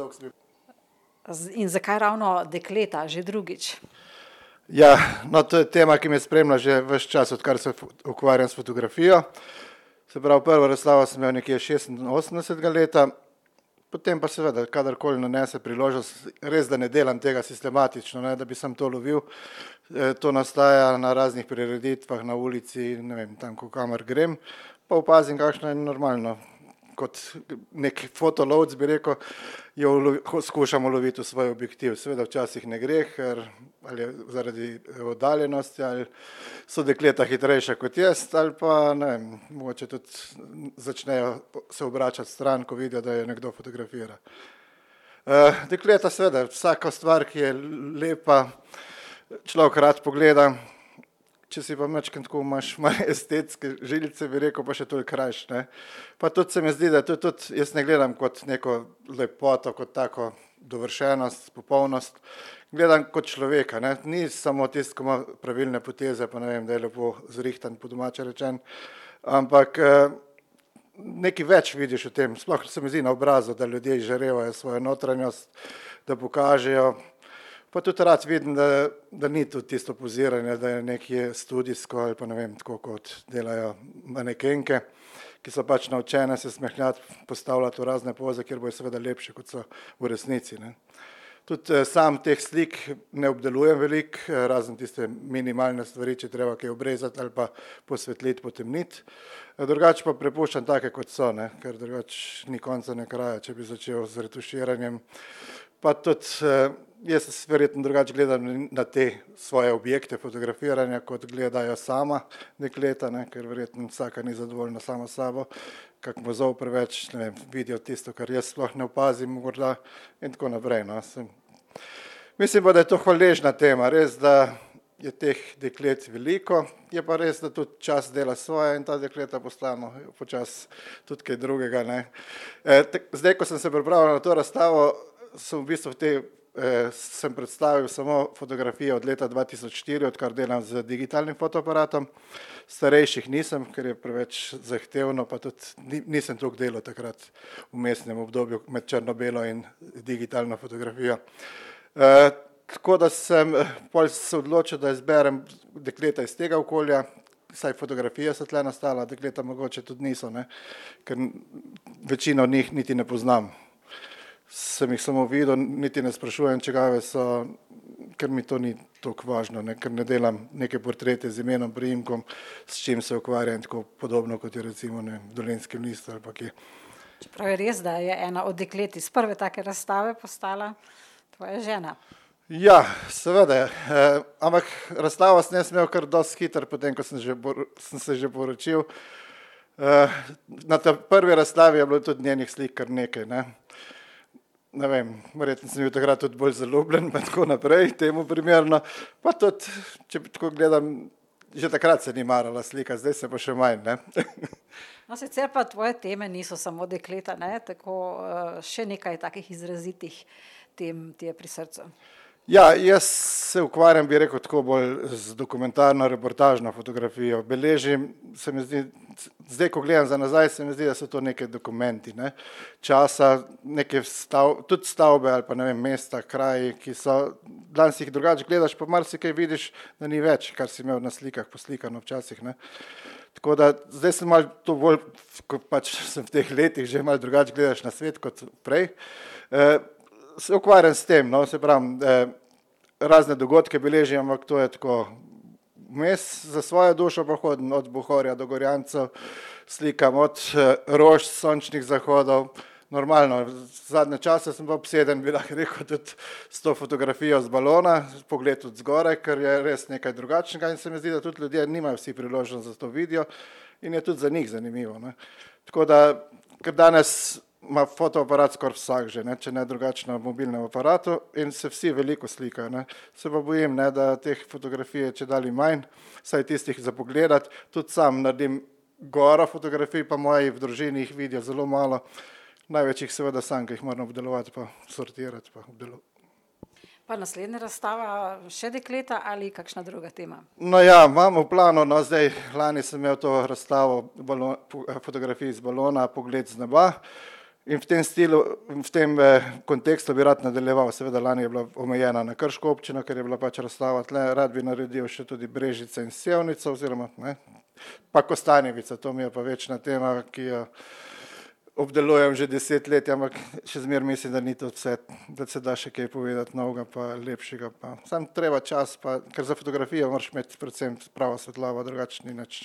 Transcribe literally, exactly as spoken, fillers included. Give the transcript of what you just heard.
dolgo sem bil. In zakaj ravno dekleta, že drugič? Ja, no to je tema, ki me spremlja že ves čas, odkar se ukvarjam s fotografijo. Se pravi, prvo razstavo sem imel nekje šestinosemdesetega leta, potem pa seveda, kadarkoli nanese priložnost, res da ne delam tega sistematično, ne, da bi sem to lovil. To nastaja na raznih prireditvah, na ulici, ne vem, tam, ko kamor grem, pa opazim, kakšno je normalno. Kot nek fotolovc bi rekel, jo skušamo loviti v svoj objektiv. Seveda včasih ne gre, ker ali zaradi oddaljenosti, ali so dekleta hitrejša kot jaz, ali pa ne vem, mogoče tudi začnejo se obračati stran, ko vidijo, da je nekdo fotografira. Dekleta seveda, vsaka stvar, ki je lepa, človek rad pogleda. Če si pa mečken tako imaš malo estetske žilice, bi rekel, pa še toliko krajš, ne. Pa tudi se mi zdi, da to tudi jaz ne gledam kot neko lepoto, kot tako dovršenost, popolnost. Gledam kot človeka, ne. Ni samo tisto, ko ima pravilne poteze, pa ne vem, da je lepo zrihtan, po domače rečen, ampak nekaj več vidiš v tem. Sploh se mi zdi na obrazu, da ljudje izžarevajo svojo notranjost, da pokažejo. Pa tudi rad vidim, da, da ni tudi tisto poziranje, da je nekje studijsko ali pa ne vem, tako kot delajo manekenke, ki so pač naučene se smehljati, postavljati v razne poze, kjer bojo seveda lepše, kot so v resnici, ne. Tudi sam teh slik ne obdelujem veliko, razen tiste minimalne stvari, če treba kaj obrezati ali pa posvetliti, potemniti. Drugače pa prepuščam take, kot so, ne, ker drugače ni konca ne kraja, če bi začel z retuširanjem. Pa tudi jaz verjetno drugače gledam na te svoje objekte fotografiranja, kot gledajo sama dekleta, ne, ker verjetno vsaka ni zadovoljna sama s sabo, kak mozov preveč, ne vem, vidijo tisto, kar jaz sploh ne opazim morda in tako naprej, no. Mislim pa, da je to hvaležna tema, res, da je teh deklet veliko, je pa res, da tudi čas dela svoje in ta dekleta postano počas tudi kaj drugega, ne. Zdaj, ko sem se pripravljal na to razstavo, sem v bistvu v tej, eh, sem predstavil samo fotografije od leta dva tisoč štiri, odkar delam z digitalnim fotoaparatom. Starejših nisem, ker je preveč zahtevno, pa tudi nisem toliko delal takrat v vmesnem obdobju med črno-belo in digitalno fotografijo. Eh, tako da sem pol se odločil, da izberem dekleta iz tega okolja, saj fotografije so tle nastala, dekleta mogoče tudi niso, ne, ker večino od njih niti ne poznam. Sem jih samo videl, niti ne sprašujem, čigave so, ker mi to ni toliko važno, ne, ker ne delam neke portrete z imenom, priimkom, s čim se ukvarjam, tako podobno, kot je recimo ne, v Dolenjskem listu ali pa kje. Čeprav je res, da je ena od deklet iz prve take razstave postala tvoja žena. Ja, seveda, eh, ampak razstavo sem jaz imel kar dosti hiter, potem, ko sem, že, sem se že poročil. Eh, na ta prvi razstavi je bilo tudi njenih slik kar nekaj, ne. Ne vem, verjetno sem bil takrat tudi bolj zaljubljen, pa tako naprej, temu primerno. Pa tudi, če tako gledam, že takrat se ni marala slika, zdaj se pa še manj, ne. No, sicer pa tvoje teme niso samo dekleta, ne, tako še nekaj takih izrazitih tem ti je pri srcu. Ja, jaz se ukvarjam, bi rekel, tako bolj z dokumentarno reportažno fotografijo. Beležim, se mi zdi, zdaj, ko gledam za nazaj, se mi zdi, da so to neke dokumenti, ne, časa, neke stav, tudi stavbe ali pa ne vem, mesta, kraji, ki so, danes jih drugače gledaš, pa marsikaj vidiš, da ni več, kar si imel na slikah poslikano včasih, ne. Tako da zdaj sem malo to bolj, ko pač sem v teh letih že malo drugače gledaš na svet kot prej. E, se ukvarjam s tem, no, se pravim, eh, razne dogodke beležim, ampak to je tako vmes za svojo dušo pa hodim od Bohorja do Gorjancev, slikam od eh, rož, sončnih zahodov, normalno, zadnje čase sem pa obseden, bi lahko rekel, tudi s to fotografijo z balona, pogled od zgoraj, ker je res nekaj drugačnega in se mi zdi, da tudi ljudje nimajo vsi priložnost za to vidijo in je tudi za njih zanimivo, ne. Tako da, ker danes ima fotoaparat skoraj vsak že, ne, če ne drugače na mobilnem aparatu in se vsi veliko slikajo, ne. Se pa bojim, ne, da teh fotografij je čedalje manj, saj tistih za pogledati, tudi sam naredim goro fotografij, pa moji v družini jih vidijo zelo malo, največ jih seveda sam, ki jih moram obdelovati pa sortirati pa obdelovati. Pa naslednja razstava še dekleta ali kakšna druga tema? No ja, imam v planu, no zdaj, lani sem imel to razstavo balon, fotografij z balona, Pogled z neba. In v tem stilu, v tem eh, kontekstu bi rad nadaljeval. Seveda lani je bila omejena na Krško občino, ker je bila pač razstava tle, rad bi naredil še tudi Brežice in Sevnico oziroma ne, pa Kostanjevica, to mi je pa večna tema, ki jo obdelujem že deset let, ampak še zmer mislim, da ni to vse, da se da še kaj povedati novega pa lepšega. Pa. Sam treba čas, pa, ker za fotografijo moraš imeti predvsem pravo svetlobo, drugače ni nič.